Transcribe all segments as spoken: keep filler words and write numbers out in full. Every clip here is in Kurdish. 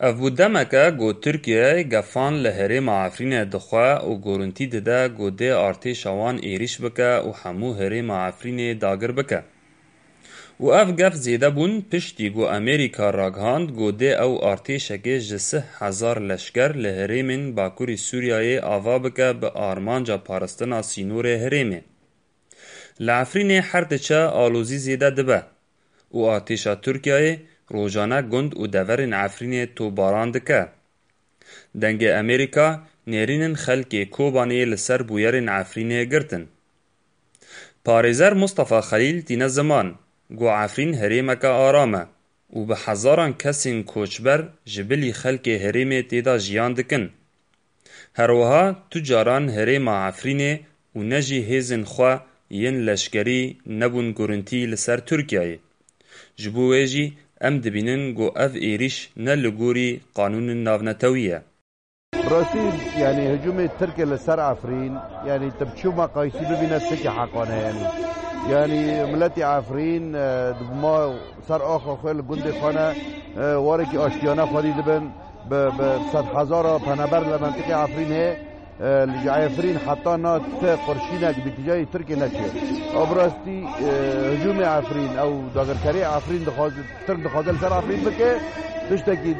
Ev bû demeke ku Tirkiye gefan li herêma Efrînê dixwe û gorintî dide ku dê artêşa wan êrîş bike û hemû herêma Efrînê dagir bike. Û ev gef zêde bûn piştî ku Amerîka ragihand ku dê ew artêşekê ji sih hezar leşker li herêmên Bakurê Sûriyeyê ava bike bi armanca parastina sînorê herêmê. Li Efrînê her diçe alozî zêde dibe û artêşa Tirkiyeyê rojane gund û deverên Efrînê topbaran dike. Dengê Amerîka nêrînin xelkê Kobanê li ser bûyerên Efrînê girtin. Parêzer Mustafa Xelîl tîne ziman ku Efrîn herêmeke aram e û bi hezaran kesên koçber ji bilî xelkê herêmê tê de jiyan dikin. Her wiha tu caran herêma Efrînê û ne jî hêzên xwe yên leşkerî nebûn gurintî li ser Tirkiyeyê. Ji bo wê jî em dibînin ku ev êrîş ne li gorî qanûnên navnetewî ye. Rastî, yanî hicûmê Tirkê li ser Efrîn, yanî tu bi çi meqayîsî bibîne, tiştekî heqane, yanî. Yanî miletî Efrîn, e, di ma ser axa xwe li gundê xwe ne, e, warekî aştiyane xwedî dibin, bi, bi sedhezara penaber li mentiqê Efrînê, e, li Efrîn heta na ti qurşînek bi tijayê Tirkê neçiye. Ew bi rastî, e, hicûmê Efrîn, ew dagirkerê Efrîn dixwaze, Tirk dixwaze li ser Efrîn bike, tiştekî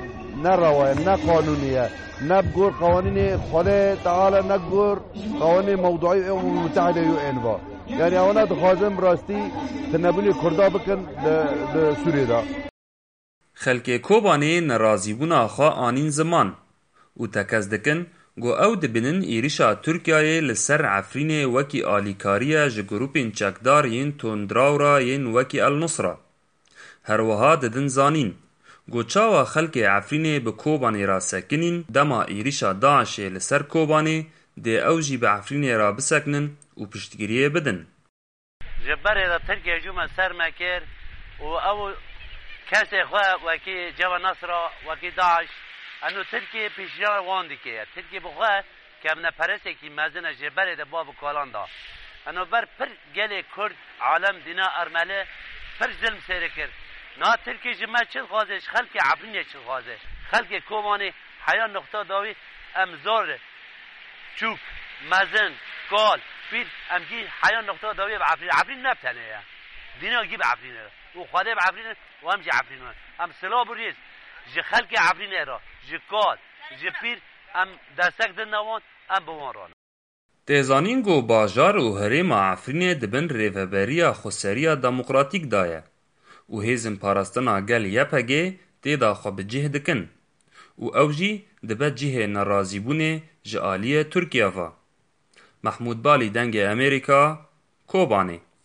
ne rewa ye, ne qanûnî ye, ne bi gor qewanînê Xwedê Teala, ne bi gor qewanînê mewduî û Umemê Mutehîde û ên va. Yanî ewana dixwazin bi rastî tunebûnê Kurda bikin li, li Sûriyê de. Xelkê Kobanê nerazîbûna xwe anîn ziman û tekez dikin ku ew dibînin êrîşa Tirkiyeyê li ser Efrînê wekî alîkariye ji grûpên çekdar yên tundrawra yên wekî El Nusra. Her wiha didin zanîn ku çawa xelkê Efrînê bi Kobanê re sekinîn, dema êrîşa DAIŞê li ser Kobanê dê ew jî bi Efrînê re bisekinin û piştgiriyê bidin. Ji berê de Tirkiye hicûma ser me kir û ew kesê xwe wekî Cebha Nasra, wekî DAIŞ, eno Tirkiye pêşiya wan dike. Tirkiye bi xwe kevneperesekî mezin e, ji berê de bav û kalan da. Eno ber pir gelê Kurd, alem, dîna Ermeni pir zilm sêre kir. Na Tirkiye ji me çi dixwaze, ji xelkê Efrînê çi dixwaze? Xelkê Kobanê heya noqta dawî em zor çûk, mezin, kal, pîr, em gî heya noqta dawî bi Efrîn. Efrîn ne bi tenê ye. Dîna gî bi Efrînê ye. Û Xwedê bi Efrînê û em jî Efrîn in. Em silav û rêz ji xelkê Efrînê re, ji kal, ji pîr, em destek didine wan, em bi wan re ne. Tê zanîn ku bajar û herêma Efrînê di bin rêveberiya xweseriya demokratîk de ye û hêzên parastina gel Y P G tê de xwe bi cih dikin û ew jî dibe cihê nerazîbûnê ji aliyê Tirkiye ve. Mehmûd Balî, Dengê Amerîka, Kobanê.